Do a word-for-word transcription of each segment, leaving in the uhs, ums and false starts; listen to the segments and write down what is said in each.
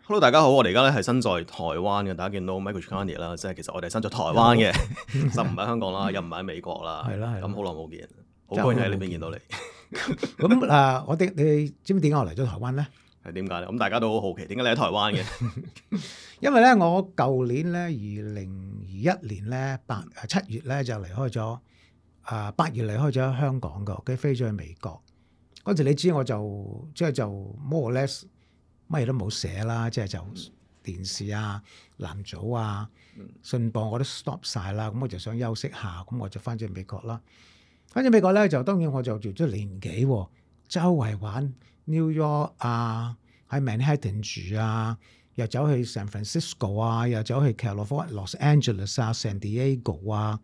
Hello，大家好，我哋而家咧係身在台灣嘅，大家見到 Michael Chikani 啦，即係其實我哋身在台灣嘅，就唔喺香港啦，又唔係喺美國啦，係啦係啦咁好耐冇見，好高興喺呢邊見到你。咁啊，我哋你知唔知點解我嚟咗台灣咧？係點解咧？咁大家都好好奇，點解你喺台灣嘅？因為咧，我舊年咧，二零二一年咧，八七月咧就離開咗啊，八月離開咗香港嘅，跟住飛咗去美國。嗰時你知我就即係就 more or less 乜嘢都冇寫啦，即係就電視啊、藍組啊、信報我都 stop 晒啦。咁我就想休息下，咁我就翻咗去美國啦。翻咗美國咧，就當然我就做咗年幾，周圍玩 New York 啊，喺 Manhattan 住啊，又走去 San Francisco 啊，又走去 California、Los Angeles 啊、San Diego 啊、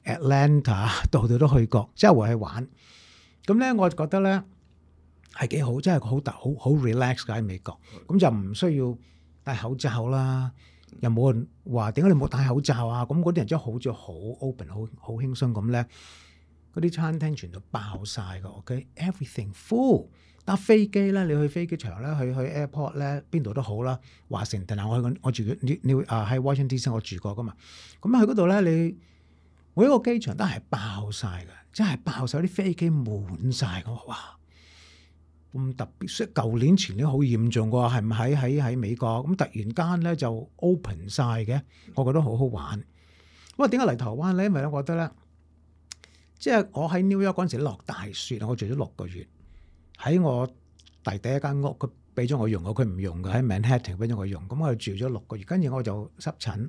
Atlanta，度度都去過，周圍去玩。咁咧，我就覺得咧係幾好，真係好大好好 relax 㗎喺美國。咁就唔需要戴口罩啦，又冇人話點解你冇戴口罩啊？咁嗰啲人真係好似好 open、好好輕鬆咁咧。嗰啲餐廳全部爆晒㗎 ，OK，everything full。搭飛機咧，你去飛機場咧，去去 airport 咧，邊度都好啦。華盛頓啊，我去我住你你啊喺 Washington D C 我住過噶嘛。咁去嗰度咧，你每一個機場都係爆晒㗎，真係爆晒啲飛機滿晒㗎。哇！咁特別，所以舊年前年好嚴重㗎，係唔係喺喺美國？咁突然間咧就 open 晒嘅，我覺得好好玩。咁啊，點解嚟台灣咧？因為咧，我覺得咧。即係我喺 New York 嗰陣時落大雪，我住咗六個月。喺我弟弟一間屋，佢俾咗我用，佢唔用嘅，喺 Manhattan 俾咗我用。咁我住咗六個月，跟住我就濕疹，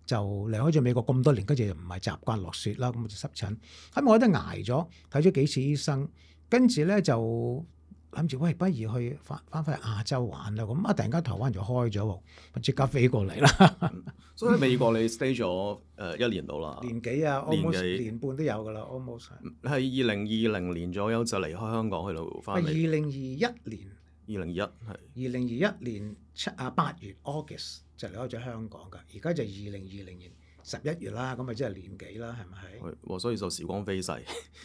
就離開咗美國咁多年，跟住又唔係習慣落雪啦，咁我就濕疹。咁我都捱咗，睇咗幾次醫生，跟住咧就諗住喂，不如去翻翻返去亞洲玩啦。咁啊，突然間台灣就開咗，我即刻飛過嚟啦。嗯、所以喺美國你 stay 咗誒一年到啦，年幾啊？almost 年半都有噶啦，almost 係二零二零年左右就離開香港去到翻嚟。二零二一年，二零二一係二零二一年七啊八月 August 就離開咗香港噶，而家就二零二零年十一月啦，咁咪即係年幾啦，係咪？係，所以就時光飛逝。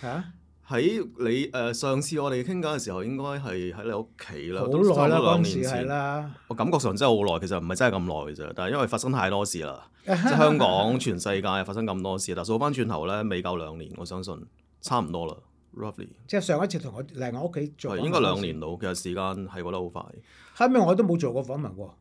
嚇！喺你誒、呃、上次我哋傾偈嘅時候，應該係喺你屋企啦，好耐啦，嗰陣時係啦。我感覺上真係好耐，其實唔係真係咁耐嘅啫。但係因為發生太多事啦，即係香港、全世界發生咁多事，但係數翻轉頭咧，未夠兩年，我相信差唔多啦 ，roughly。即係上一次同我嚟我屋企做，係應該兩年到，其實時間係過得好快。後尾我都冇做過訪問喎，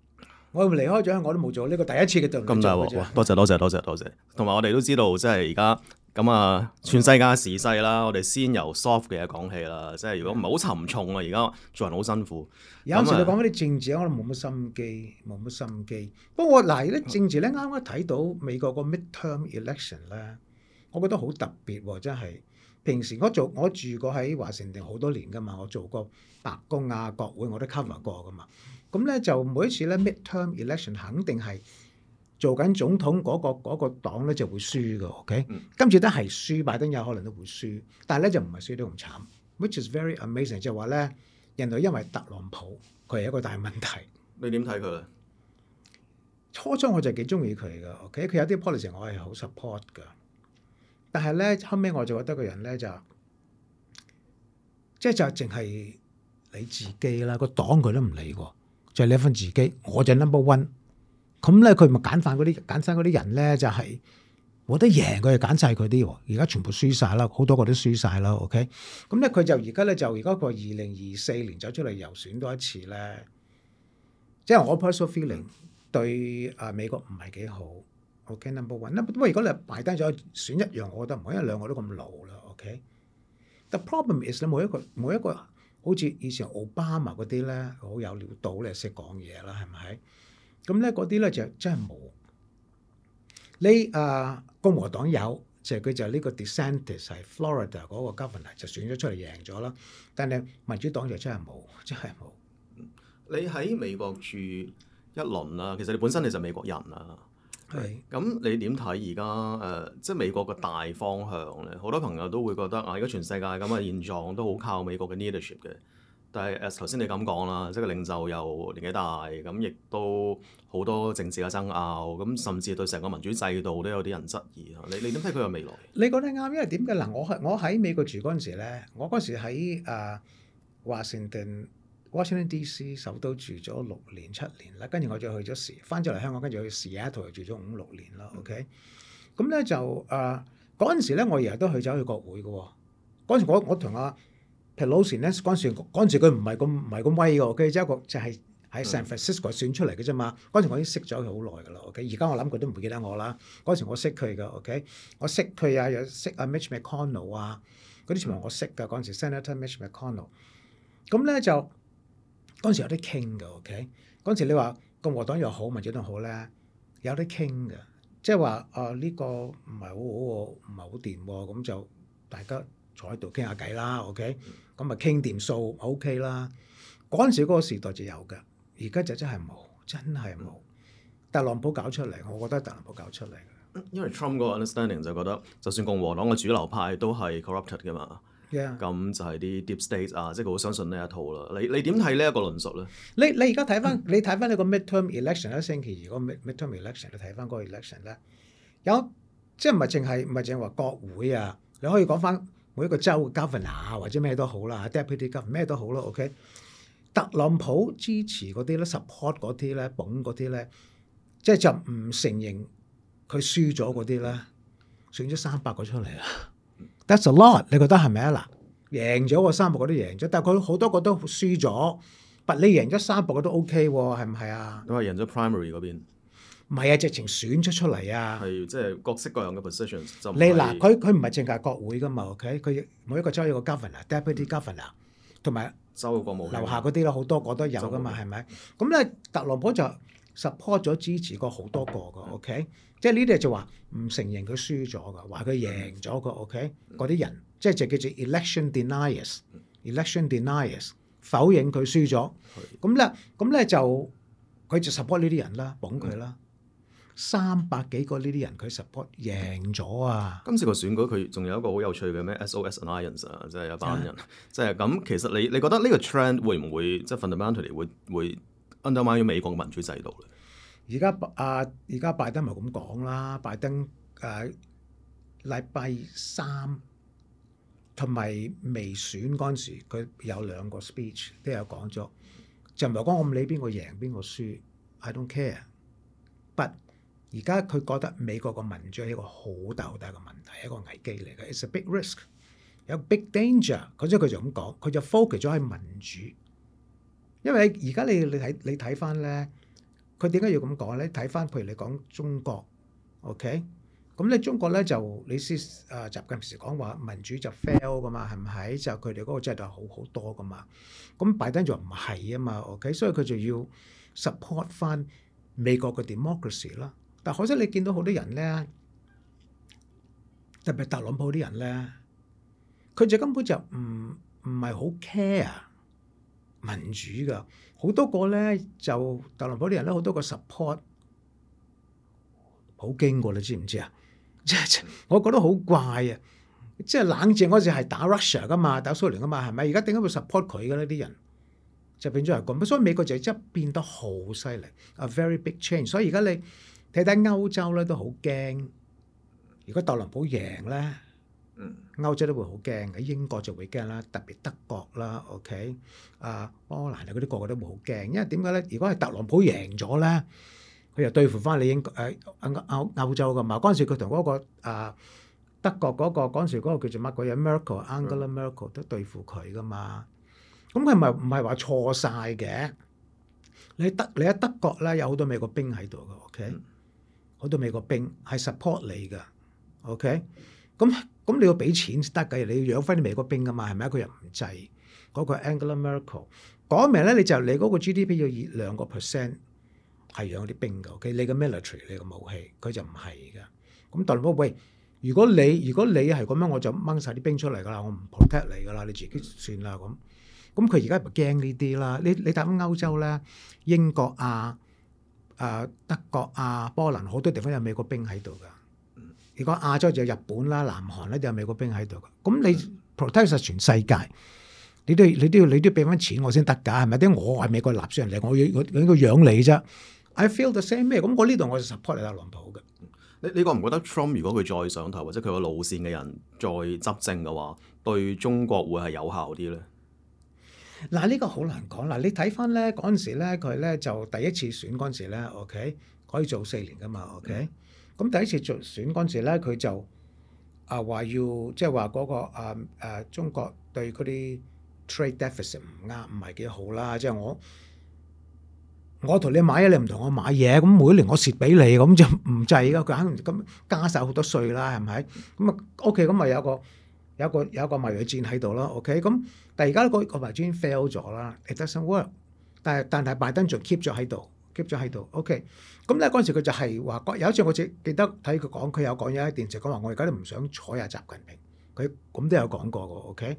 我離開咗香港都冇做呢、這個第一次嘅對。咁大鑊！多謝多謝多謝多謝，同埋我哋都知道，即係而家。咁啊，全世界時勢啦，我哋先由 soft 嘅嘢講起啦。即係如果唔係好沉重啊，而家做人好辛苦。有時你講翻啲政治，我都冇乜心機，冇乜心機。不過嗱，啲政治咧，啱啱睇到美國個 midterm election 咧，我覺得好特別喎，真係。平時我做我住過喺華盛頓好多年噶嘛，我做過白宮啊、國會我都 cover 過噶嘛。咁咧就每一次咧 midterm election 肯定係。做緊總統嗰、那個嗰、那個黨咧就會輸嘅 ，OK？、嗯、今次都係輸，拜登有可能都會輸，但係咧就唔係輸得咁慘 ，which is very amazing。就係話咧，人類因為特朗普佢係一個大問題。你點睇佢咧？初初我就幾中意佢嘅 ，OK？佢有啲 policy 我係好 support 嘅，但係咧後尾我就覺得個人咧就即係就淨係你自己啦，個黨佢都唔理喎，就係、你份自己，我就 number one。咁咧，佢咪揀翻嗰啲揀晒嗰啲人咧，就係冇得贏，佢就揀晒佢啲喎。而家全部輸晒啦，好多個都輸晒啦。OK，咁咧佢就而家咧就而家個二零二四年走出嚟又選多一次咧，即係我 personal feeling 對啊美國唔係幾好。OK，number one，不過如果你擺低咗選一樣，我覺得唔好，因為兩個都咁老啦。OK，the problem is 咧，每一個每一個好似以前奧巴馬嗰啲咧，好有料到咧，識講嘢啦，係咪？咁咧嗰啲咧就真係冇。你啊共和黨有，就係佢就係呢個 DeSantis 係 Florida 嗰個 governor 就選咗出嚟贏咗啦。但係民主黨就真係冇，真係冇。你喺美國住一輪啦，其實你本身你就美國人啦。係。咁你點睇而家誒，即係美國嘅大方向咧？好多朋友都會覺得啊，而家全世界咁嘅現狀都好靠美國嘅 leadership 嘅。但係誒頭先你咁講啦，即係個領袖又年紀大，咁亦都好多政治嘅爭拗，咁甚至對成個民主制度都有啲人質疑。你你點睇佢嘅未來？你講得啱，因為點嘅嗱？我係我喺美國住嗰陣時咧，我嗰時喺誒華盛頓 Washington D C 首都住咗六年七年啦，跟住我就去咗時翻咗嚟香港，跟住去 Seattle 又住咗五六年啦。OK，咁咧就誒嗰陣時咧，我日日都去走去國會嘅喎。嗰陣時我我同阿 Pelosi 咧，嗰陣時嗰陣時佢唔係咁唔係咁威嘅，OK，即係一個就係喺 San Francisco 選出嚟嘅啫嘛。嗰陣時我已經識咗佢好耐㗎啦。OK，而家我諗佢都唔會記得我啦。嗰陣時我識佢嘅 OK，我識佢啊，又識阿 Mitch McConnell 啊，嗰啲全部我識㗎。嗰陣時 Senator Mitch McConnell，咁咧就嗰陣時有啲傾嘅。OK，嗰陣時你話共和黨又好，民主黨好咧，有啲傾嘅，即係話啊呢個唔係好好喎，唔係好掂喎，咁就大家坐喺度傾下偈啦。OK，咁咪傾掂數 OK 啦。嗰陣時嗰個時代就有嘅，而家就真係冇，真係冇。特朗普搞出嚟，我覺得特朗普搞出嚟嘅。因為 Trump 嗰個 understanding 就覺得，就算共和黨嘅主流派都係 corrupted 嘅嘛，咁 Yeah. 就係啲 deep state 啊，即係佢好相信呢一套啦。你你點睇呢一個論述咧？你你而家睇翻，你睇翻呢個 midterm election 一星期二嗰個 midterm election，你睇翻嗰個 election 咧，有即係唔係淨係唔係淨係話國會啊？你可以講翻每一個州嘅 governor 啊，或者咩都好啦 ，deputy governor 咩都好啦。OK，特朗普支持嗰啲咧 ，support 嗰啲咧，捧嗰啲咧，即係就唔承認佢輸咗嗰啲咧，選咗三百個出嚟啊！That's a lot，你覺得係咪啊？嗱，贏咗個三百個都贏咗，但係佢好多個都輸咗，但你贏咗三百個都 OK 喎，係唔係啊？都係贏咗 primary 嗰邊，唔係啊，直情選出出嚟啊！係即係各式各樣嘅 positions 就唔你嗱，佢佢唔係淨係國會噶嘛 ，OK？佢每一個州有個 governor、deputy governor，同埋州嘅國務卿樓下嗰啲啦，好多個都有噶嘛，係咪？咁咧，特朗普就 support 咗支持過好多個噶 ，OK？即係呢啲就話唔承認佢輸咗噶，話佢贏咗個 OK？嗰啲人即係就叫做 election deniers，election deniers 否認佢輸咗。咁咧，咁咧就佢就 support 呢啲人啦，捧佢啦。三百幾個呢啲人佢 support 贏咗啊！今次個選舉佢仲有一個好有趣嘅咩 S O S Alliance 啊，即係一班人，即係咁。其實你你覺得呢個 trend 會唔會即係 fundamentally 會會 undermine 咗美國嘅民主制度咧？而家啊，而家拜登咪咁講啦，拜登誒禮拜三同埋未選嗰陣時，佢有兩個 speech 都有講咗，就唔係講我唔理邊個贏邊個輸 ，I don't care。But 而家佢覺得美國個民主係一個好大好大嘅問題，一個危機嚟嘅 ，it's a big risk，有 big danger。佢即係佢就咁講，佢就 focus 咗喺民主，因為而家你你睇你睇翻咧。佢點解要咁講咧？睇翻，譬如你講中國 ，OK，咁咧中國咧就你先啊習近平時講話民主就 fail 噶嘛，係唔係？就佢哋嗰個制度好好多噶嘛。咁拜登就唔係啊嘛 ，OK，所以佢就要 support 翻美國嘅 democracy 啦。但可惜你見到好多人咧，特別特朗普啲人咧，佢就根本就唔唔係好 care 民主噶。好多個咧就特朗普啲人咧，好多個 support 普京過，你知唔知啊？即係我覺得好怪啊！即係冷戰嗰時係打 Russia 噶嘛，打蘇聯噶嘛，係咪？而家點解會 support 佢嘅呢啲人就變咗係咁，所以美國就真係變得好犀利，a very big change。所以而家你睇睇歐洲咧都好驚，如果特朗普贏咧。歐洲都會好驚嘅，英國就會驚啦，特別德國啦 ，OK，啊波蘭啊嗰啲個個都會好驚，因為點解咧？如果係特朗普贏咗咧，佢又對付翻你英誒歐歐歐洲噶嘛？嗰陣時佢同嗰個啊德國嗰個嗰陣時嗰個叫做乜鬼嘢 Merkel，Angela Merkel 都對付佢噶嘛？咁佢咪唔係話錯晒嘅？你德你喺德國咧有好多美國兵喺度嘅 ，OK，好多美國兵係 support 你嘅 ，OK，咁。咁你要俾錢先得㗎，你要養翻啲美國兵㗎嘛，係咪啊？佢又唔制，嗰、那個 Angela Merkel 講明咧，你就你嗰個 G D P 要以兩個 percent 係養啲兵㗎，OK？你個 military 你個武器，佢就唔係㗎。咁特朗普喂，如果你如果你係咁樣，我就掹晒啲兵出嚟㗎啦，我唔 protect 你㗎啦，你自己算啦咁。咁佢而家咪驚呢啲啦？你你睇翻歐洲咧，英國啊、啊德國啊、波蘭好多地方有美國兵喺度㗎。如果亞洲就有日本啦、南韓咧就有美國兵喺度嘅，咁你 protect 曬全世界，你都你都要你都要俾翻錢我先得㗎，係咪？啲我係美國納稅人嚟，我要我應該養你啫。I feel the same 咩？咁我呢度我就 support 你特朗普嘅。你你覺唔覺得 Trump 如果佢再上台或者佢個路線嘅人再執政嘅話，對中國會係有效啲咧？嗱呢個好難講。嗱你睇翻咧嗰陣時咧，佢咧就第一次選嗰陣時咧，OK 可以做四年噶嘛，OK。咁第一次做選嗰陣時咧，佢就啊話要即係話嗰個啊誒中國對嗰啲 trade deficit 唔啱，唔係幾好啦。即係我我同你買嘢，你唔同我買嘢，咁每年我蝕俾你，咁就唔制噶。佢肯定咁加晒好多稅啦，係咪？咁啊 OK，咁咪有個有個有個貿易戰喺度咯。OK，咁但係而家個個貿易戰 fail 咗啦，it doesn't work。但係但係拜登仲 keep 咗喺度，keep 咗喺度。OK，咁咧嗰陣時佢就係話，有一次我記記得睇佢講，佢有講有喺電視講話，我而家都唔想睬下習近平。佢咁都有講過嘅。OK，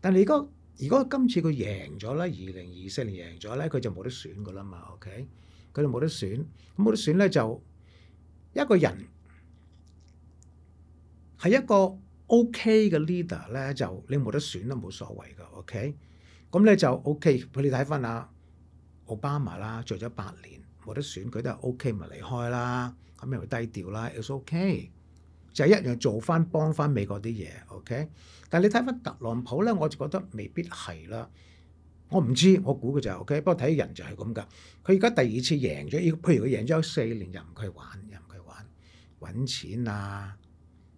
但係而家。如果今次佢贏咗咧，二零二四年贏咗咧，佢就冇得選噶啦嘛。OK，佢就冇得選，咁冇得選咧就一個人係一個 OK 嘅 leader 咧，就你冇得選都冇所謂噶。OK，咁咧就 OK。佢哋睇翻啊，奧巴馬啦，做咗八年冇得選，佢都係 OK，咪離開啦，咁又低調啦 ，it's OK。就係一樣做翻幫翻美國啲嘢 ，OK？但係你睇翻特朗普咧，我就覺得未必係啦。我唔知，我估嘅就係 OK。不過睇人就係咁㗎。佢而家第二次贏咗，譬如佢贏咗四年，又唔佢玩，又唔佢玩揾錢啊，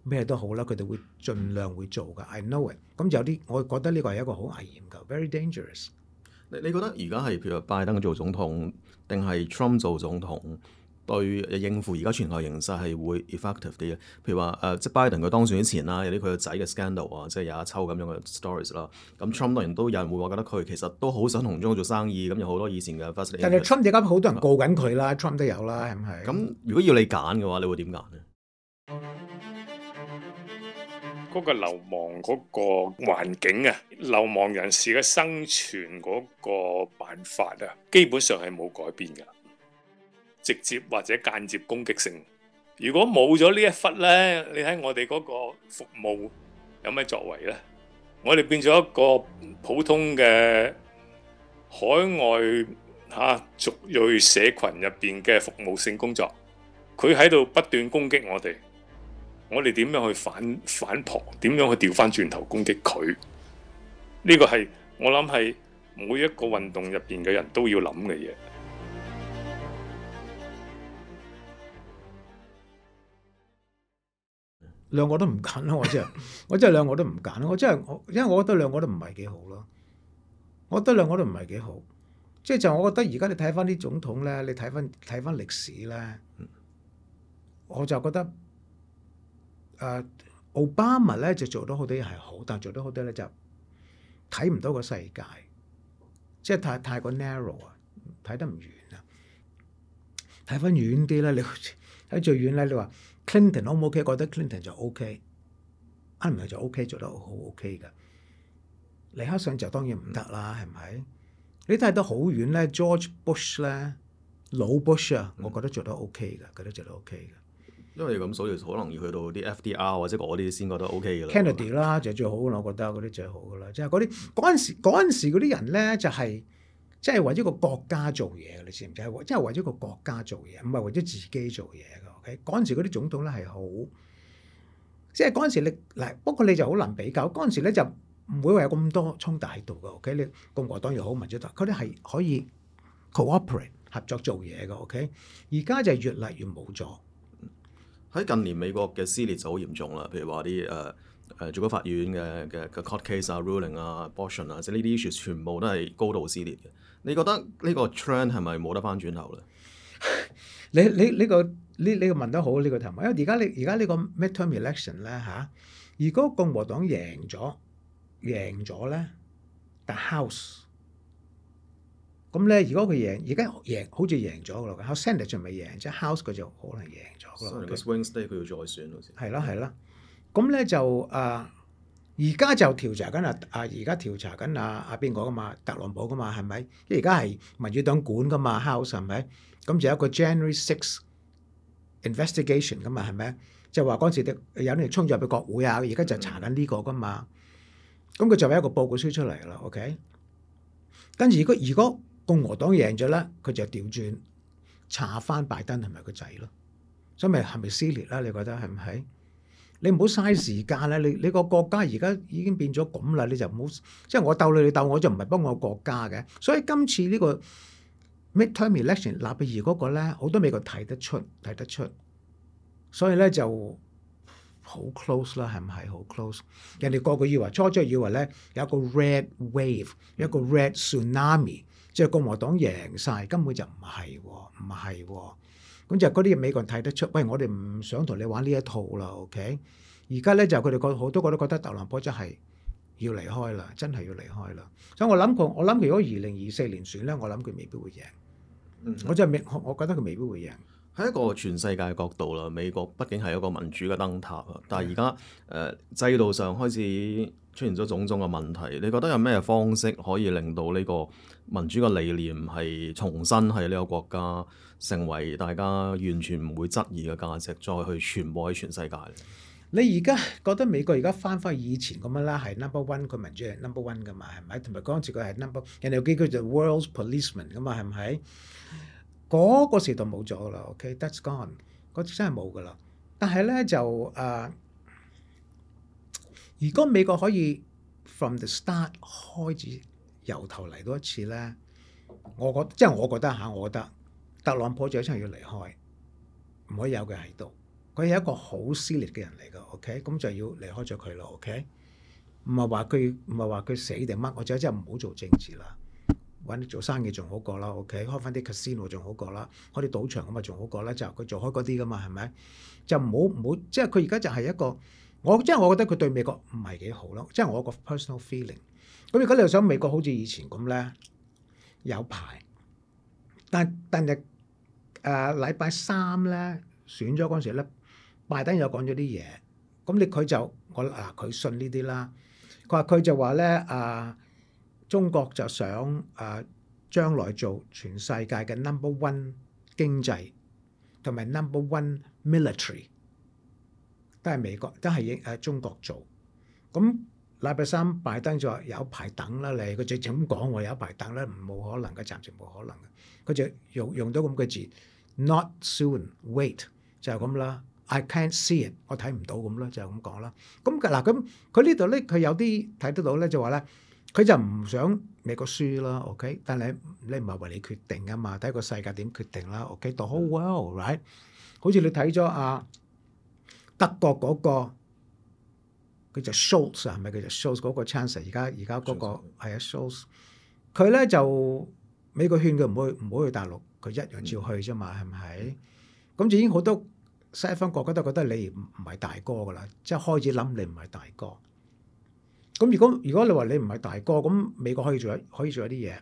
咩都好啦，佢哋會盡量會做㗎。I know it。咁有啲，我覺得呢個係一個好危險㗎 ，very dangerous。你你覺得而家係譬如拜登做總統，定係 Trump 做總統？對應付而家全球形勢係會 effective 啲嘅，譬如話誒、呃，即係拜登佢當選之前啦，有啲佢個仔嘅 scandal 啊，即係有一抽咁樣嘅 stories 啦。咁 Trump 當然都有人會話覺得佢其實都好想同中國做生意，咁有好多以前嘅 first lady。但係 Trump 而家好多人告緊佢啦 ，Trump 都有啦，係唔係？咁如果要你揀嘅話，你會點揀咧？嗰個流亡嗰個環境啊，流亡人士嘅生存嗰個辦法啊，基本上係冇改變㗎。直接或者間接攻擊性，如果冇咗呢一忽呢，你睇我哋嗰個服務有咩作為呢？我哋變咗一個普通嘅海外嚇族裔社群入邊嘅服務性工作，佢喺度不斷攻擊我哋，我哋點樣去反反撲？點樣去調翻轉頭攻擊佢？呢個係我諗係每一個運動入邊嘅人都要諗嘅嘢。兩個都唔揀咯，我真係，我真係兩個都唔揀咯。我真係我，因為我覺得兩個都唔係幾好咯。我覺得兩個都唔係幾好，即係就我覺得而家你睇翻啲總統咧，你睇翻睇翻歷史咧，我就覺得誒、呃、奧巴馬咧就做到好多嘢係好，但係做到好多咧就睇唔到個世界，即係太太過 narrow 啊，睇得唔遠啊。睇翻遠啲咧，你睇最遠咧，你話。Clinton O 唔 OK？覺得 Clinton 就 OK，啱唔係就 OK，做得好 OK 嘅。尼克遜就當然唔得啦，係咪？你睇得好遠咧 ，George Bush 咧，老 Bush 啊，我覺得做得 OK 嘅，覺得做得 OK 嘅。因為咁，所以可能要去到啲 F D R 或者嗰啲先覺得 OK 嘅啦。Kennedy 啦就最好啦，我覺得嗰啲最好噶啦，即係嗰啲嗰陣時嗰陣時嗰啲人咧就係即係為咗個國家做嘢嘅，你知唔知？係即係為咗個國家做嘢，唔係為咗自己做嘢嘅。嗰陣時嗰啲總統咧係好，即係嗰陣時你嗱，不過你就好難比較。嗰陣時咧就唔會話有咁多衝突喺度嘅。OK，你共和黨又好，民主黨，佢哋係可以 cooperate 合作做嘢嘅。OK，而家就越嚟越冇咗。喺近年美國嘅撕裂就好嚴重啦，譬如話啲誒誒最高法院嘅嘅嘅 court case 啊、ruling 啊、abortion 啊，即係呢啲 issue 全部都係高度撕裂嘅。你覺得呢個 trend 係咪冇得翻轉頭咧？你你呢個呢呢個問得好呢個題目，因為而家你而家呢個 midterm election 咧嚇，如果共和黨贏咗贏咗咧，但 House 咁咧，如果佢贏而家贏好似贏咗㗎啦，House Senate 仲未贏，即係 House 佢就可能贏咗㗎啦。所以個 swing state 佢要再選好似。係啦係啦，咁咧就啊，而家就調查緊啊啊，而家調查緊啊啊邊個㗎嘛？特朗普㗎嘛係咪？因為而家係民主黨管㗎嘛 House 係咪？咁就有一個 January sixth investigation 㗎嘛，係咪？就話嗰陣時有人衝咗入去國會啊，而家就查緊呢個㗎嘛。咁佢就有一個報告書出嚟啦 ，OK。跟住如果如果共和黨贏咗咧，佢就調轉查翻拜登係咪個仔咯。所以咪係咪撕裂啦？你覺得係唔係？你唔好嘥時間啦！你你個國家而家已經變咗咁啦，你就唔好即係我鬥你，你鬥我就唔係幫我國家嘅。所以今次呢個 midterm election 納比爾嗰個咧，好多美國睇得出睇得出，所以咧就好 close 啦，係唔係好 close？人哋個個以為初初以為咧有一個 red wave， 有一個 red tsunami， 即係共和黨贏晒，根本就唔係喎，唔係喎。咁就嗰啲美國人睇得出，喂，我哋唔想同你玩呢一套啦 ，OK？ 而家咧就佢哋覺好多個都覺得特朗普真係要離開啦，真係要離開啦。所以我諗佢，我諗佢如果二零二四年選咧，我諗佢未必會贏。嗯、我真係未，我覺得佢未必會贏。喺一個全世界角度啦，美國畢竟係一個民主嘅燈塔啊，但係而家誒制度上開始出現咗種種嘅問題，你覺得有咩方式可以令到呢個民主嘅理念係重新喺呢個國家成為大家完全唔會質疑嘅價值，再去傳播喺全世界咧？你而家覺得美國而家翻返以前咁樣啦，係 number one， 佢民主係 number one 噶嘛，係咪？同埋嗰陣時佢係 number， 人哋又叫佢做 world's policeman 噶嘛，係咪？嗰、那個時代冇咗啦 ，OK，that's gone，嗰啲真係冇噶啦。但係咧就誒、呃，如果美國可以 from the start 開始由頭嚟多一次咧，我覺即係我覺得嚇，我覺得特朗普就真係要離開，唔可以有佢喺度。佢係一個好撕裂嘅人嚟㗎 ，OK， 咁就要離開咗佢咯 ，OK。唔係話佢唔係話佢死定乜，我就真係唔好做政治啦。揾啲做生意仲好過啦 ，OK， 開翻啲 casino 仲好過啦，開啲賭場咁啊仲好過啦，就佢做開嗰啲噶嘛，係咪？就唔好唔好，即係佢而家就係一個，我即係我覺得佢對美國唔係幾好咯，即係我個 personal feeling。咁如果你又想美國好似以前咁咧，有排，但但係誒禮拜三咧選咗嗰陣時咧，拜登又講咗啲嘢，咁你佢就我嗱佢信呢啲啦，佢話佢就話咧啊。中國就想誒將來做全世界嘅 number one 經濟同埋 number one military， 都係美國，都係誒中國做。咁禮拜三拜登就話有排等啦，你佢直情咁講喎，有排等啦，冇可能嘅，暫時冇可能嘅。佢就用用到咁嘅字 ，not soon，wait 就係咁啦。I can't see it， 我睇唔到咁啦，就係咁講啦。咁嗱咁佢呢度咧，佢有啲睇得到咧，就話咧。佢就唔想美國輸啦 ，OK？ 但係你唔係為你決定啊嘛，睇個世界點決定啦 ，OK？The whole world，right？ 好似你睇咗啊德國嗰個，佢就 Scholz 係咪？佢就 Scholz 嗰個 Chancellor， 而家而家嗰個係啊 Scholz， 佢咧就美國勸佢唔好唔好去大陸，佢一樣照去啫嘛，係咪？咁就已經好多西方國家都覺得你唔唔係大哥噶啦，即係開始諗你唔係大哥。咁如果如果你話你唔係大哥，咁美國可以做一可以做一啲嘢，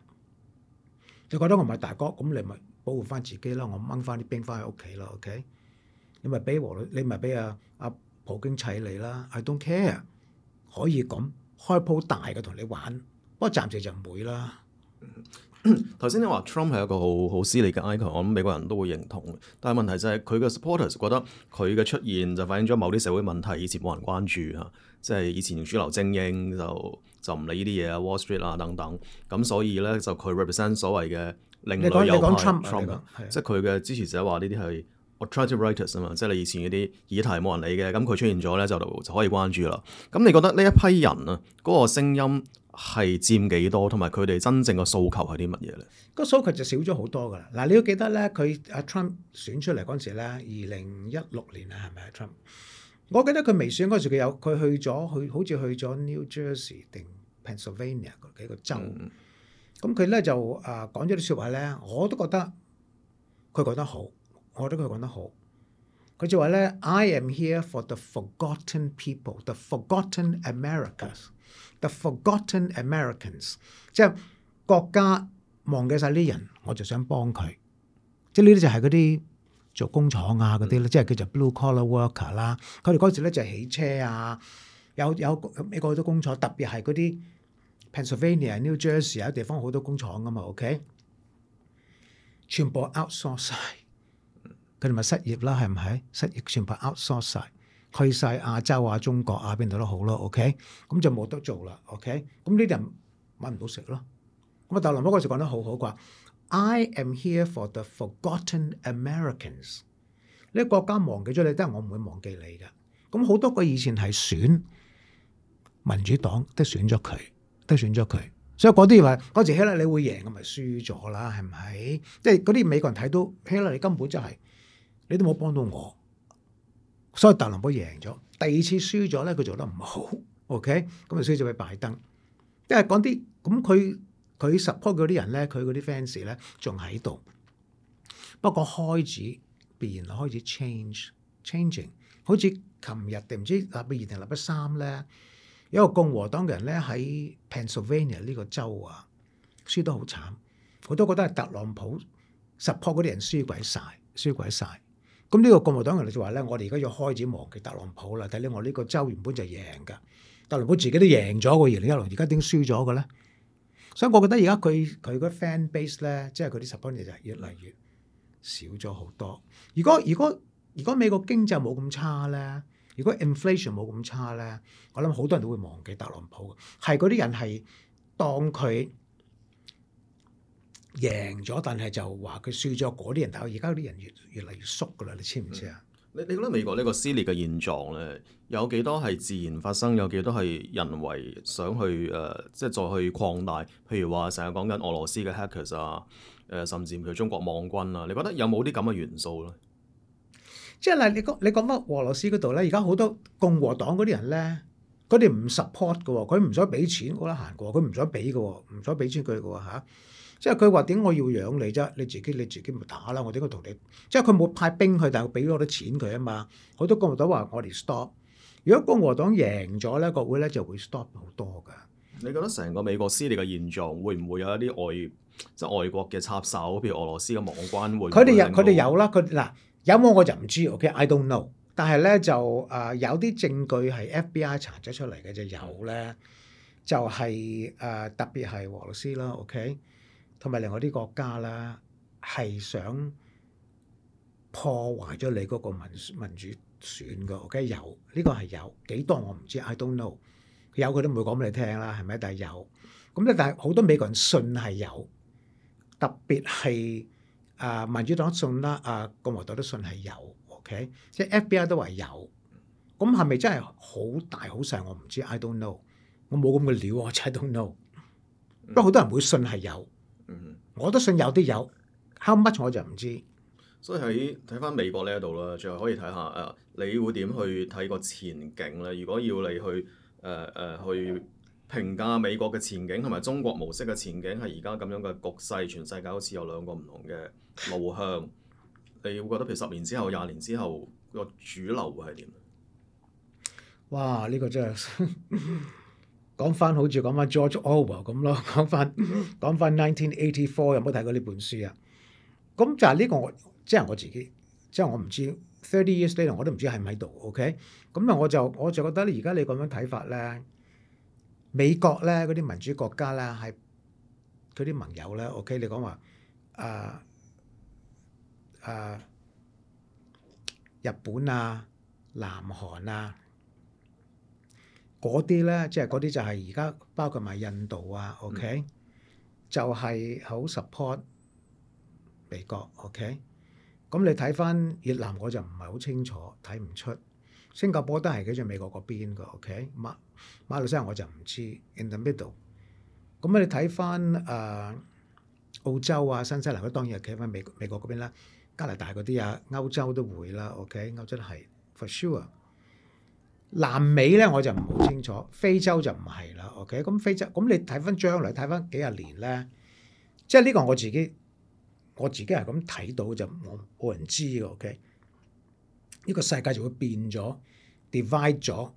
你覺得我唔係大哥，咁你咪保護翻自己啦，我掹翻啲兵翻去屋企啦 ，OK？ 你咪俾和你咪俾阿阿普京砌你啦 ，I don't care， 可以咁開鋪大嘅同你玩，不過暫時就唔會啦。頭先你話 Trump 係一個好好撕裂嘅 icon，我諗美國人都會認同。但係問題就係佢嘅 supporters 覺得佢嘅出現就反映咗某啲社會問題，以前冇人關注嚇，即係以前主流精英就就唔理呢啲嘢啊 ，Wall Street 啊等等。咁所以咧就佢 represent 所謂嘅另類右派 Trump， 即係佢嘅支持者話呢啲係 alternative writers 啊嘛，即係你以前嗰啲議題冇人理嘅，咁佢出現咗咧就就可以關注啦。咁你覺得呢一批人啊嗰個聲音係佔幾多，同埋佢哋真正嘅訴求係啲乜嘢咧？個訴求就少咗好多噶啦。嗱，你要記得咧，佢阿 Trump 選出嚟嗰陣時咧，二零一六年啊，係咪啊 Trump？我記得佢未選嗰時，佢有佢去咗，去好似去咗 New Jersey 定 Pennsylvania 嗰幾個州。咁佢咧就啊講咗啲説話咧，我都覺得佢講得好，我覺得佢講得好。佢就話咧 ，I am here for the forgotten people, the forgotten Americas。The forgotten Americans， 即係國家忘記晒呢啲人，我就想幫佢。即係呢啲就係嗰啲做工廠啊嗰啲咧，嗯、即係叫做 blue collar worker 啦。佢哋嗰時咧就係起車啊，有有美國好多工廠，特別係嗰啲 Pennsylvania、New Jersey 有地方好多工廠噶嘛。OK， 全部 outsource 晒，佢哋咪失業啦，係唔係？失業全部 outsource 晒。去晒亞洲啊、中國啊邊度都好咯 ，OK， 咁就冇得做啦 ，OK， 咁呢啲人揾唔到食咯。咁啊，特朗普嗰時講得好好啩 ，I am here for the forgotten Americans。呢個國家忘記咗你，但係我唔會忘記你嘅。咁好多個以前係選民主黨都選咗佢，都選咗佢。所以嗰啲話嗰時希拉里會贏，咁咪輸咗啦，係咪？即係嗰啲美國人睇到希拉里根本就係、是、你都冇幫到我，所以特朗普贏咗。第二次輸咗咧，佢做得唔好 ，OK， 咁就輸咗俾拜登。因為講啲咁佢佢 support 嗰啲人咧，佢嗰啲 fans 咧仲喺度，不過開始變開始 change changing， 好似琴日定唔知禮拜二定禮拜三咧。有一個共和黨嘅人咧喺 Pennsylvania 呢個州啊，輸得好慘，我都覺得係特朗普 support 嗰啲人輸鬼晒，輸鬼晒。咁呢個共和黨人就話咧，我哋而家要開始忘記特朗普啦。睇咧，我呢個州原本就贏㗎，特朗普自己都贏咗個二零一六，而家點輸咗嘅咧？所以我覺得而家佢佢個 fan base 咧，即係佢啲 support 就係越嚟越少咗好多。如果如果如果美國經濟冇咁差咧，如果 inflation 冇咁差咧，我諗好多人都會忘記特朗普嘅，係嗰啲人係當佢贏咗，但係就話佢輸咗嗰啲人，但係而家嗰啲人越越嚟越縮噶啦，你知唔知啊？你你覺得美國呢個撕裂嘅現狀咧，有幾多係自然發生，有幾多係人為想去誒、呃，即係再去擴大？譬如話成日講緊俄羅斯嘅 hackers 啊，誒、呃，甚至譬如中國網軍啊，你覺得有冇啲咁嘅元素咧？即係嗱，你講你講翻俄羅斯嗰度咧，而家好多共和黨嗰啲人咧，佢哋唔 support 嘅喎，佢唔想俾錢，我得閒嘅喎，佢唔想俾嘅喎，唔想俾錢佢嘅喎嚇。即係佢話點我要養你啫？你自己你自己咪打啦，我點解同你？即係佢冇派兵去，但係俾咗啲錢佢啊嘛。好多共和黨話我哋 stop。如果共和黨贏咗咧，國會咧就會 stop 好多㗎。你覺得成個美國撕裂嘅現狀會唔會有一啲外即係外國嘅插手，譬如俄羅斯嘅網關會？佢哋有佢哋有啦，佢嗱。有冇我就唔知 ，OK，I don't know。但係咧就誒、呃、有啲證據係 F B I 查咗出嚟嘅就有咧，就係、是、誒、呃、特別係俄羅斯啦 ，OK， 同埋另外啲國家啦，係想破壞咗你嗰個民民主選嘅 ，OK， 有呢、這個係有幾多我唔知 ，I don't know。有佢都唔會講俾你聽啦，係咪？但係有咁咧，但係好多美國人信係有，特別係。啊，民主黨信啦，啊共和黨都信係有 ，OK， 即係 F B I 都話有，咁係咪真係好大好細？我唔知 ，I don't know， 我冇咁嘅料啊 ，I don't know。不過好多人會信係有，我都信有啲有 ，how much 我就唔知。所以喺睇翻美國呢一度啦，最後可以睇下誒、呃，你會點去睇個前景咧？如果要你去誒誒、呃呃、去評價美國嘅前景同埋中國模式嘅前景，係而家咁樣嘅局勢，全世界好似有兩個唔同嘅路向，你會覺得譬如十年之後、廿年之後個主流會係點？哇！呢、這個真係講翻好似講翻 George Orwell 咁咯，講翻講翻 nineteen eighty-four 有冇睇過呢本書啊？咁就係呢個我即係我自己，即係我唔知 thirty years later 我都唔知喺唔喺度。OK，咁啊我就我就覺得而家你咁樣睇法咧，美國咧嗰啲民主國家咧係佢啲盟友咧 OK，你講話啊。啊！日本啊、南韓啊，嗰啲咧，即係嗰啲就係而家包括埋印度啊 ，OK，、嗯、就係好 support 美國 ，OK。咁你睇翻越南，我就唔係好清楚，睇唔出。新加坡都係企住美國嗰邊嘅 ，OK。馬馬來西亞我就唔知 ，in the middle。咁你睇翻誒澳洲啊、新西蘭，佢當然係企翻美美國嗰邊啦。加拿大嗰啲啊，歐洲都會啦 ，OK， 歐洲都係 for sure。南美咧我就唔好清楚，非洲就唔係啦 ，OK。咁非洲咁你睇翻將來睇翻幾廿年咧，即係呢個我自己我自己係咁睇到就冇冇人知嘅 ，OK。呢個世界就會變咗 divide 咗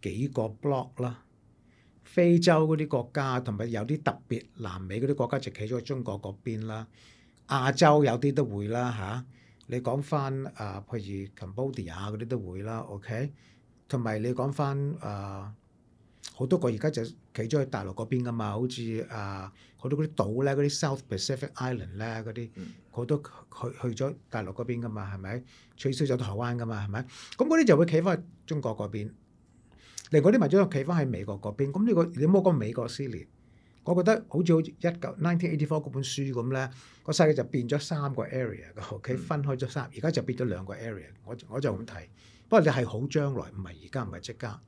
幾個 block 啦。非洲嗰啲國家同埋有啲特別南美嗰啲國家就企咗喺中國嗰邊啦。亞洲有啲都會啦嚇、啊，你講翻啊，譬如 Cambodia 嗰啲都會啦 ，OK， 同埋你講翻啊，好多個而家就企咗喺大陸嗰邊噶嘛，好似啊好多嗰啲島咧，嗰啲 South Pacific Island 咧，嗰啲好多去去咗大陸嗰邊噶嘛，係咪？取消咗台灣噶嘛，係咪？咁嗰啲就會企翻去中國嗰邊，另外啲民眾企翻喺美國嗰邊，咁呢、呢個你唔好講美國撕裂。我覺得好似好似一九 nineteen eighty four 嗰本書咁咧，個世界就變咗三個 area 嘅，OK 分開咗三，而家就變咗兩個 area。我我就咁睇。不過你係好將來，唔係而家，唔係即刻。